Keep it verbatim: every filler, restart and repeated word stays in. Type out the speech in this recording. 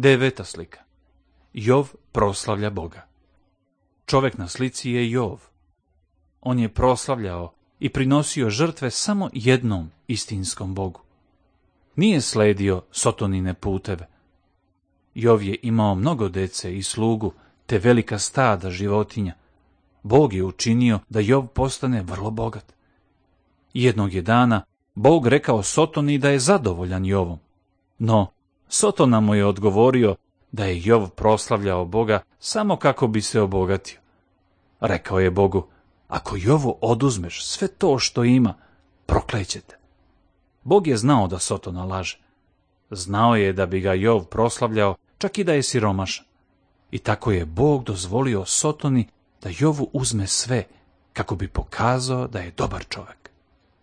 Deveta slika. Jov proslavlja Boga. Čovjek na slici je Jov. On je proslavljao i prinosio žrtve samo jednom istinskom Bogu. Nije sledio Sotonine puteve. Jov je imao mnogo dece i slugu, te velika stada životinja. Bog je učinio da Jov postane vrlo bogat. Jednog je dana Bog rekao Sotoni da je zadovoljan Jovom. No, Sotona mu je odgovorio da je Jov proslavljao Boga samo kako bi se obogatio. Rekao je Bogu: ako Jovu oduzmeš sve to što ima, proklećete. Bog je znao da Sotona laže. Znao je da bi ga Jov proslavljao čak i da je siromašan. I tako je Bog dozvolio Sotoni da Jovu uzme sve kako bi pokazao da je dobar čovjek.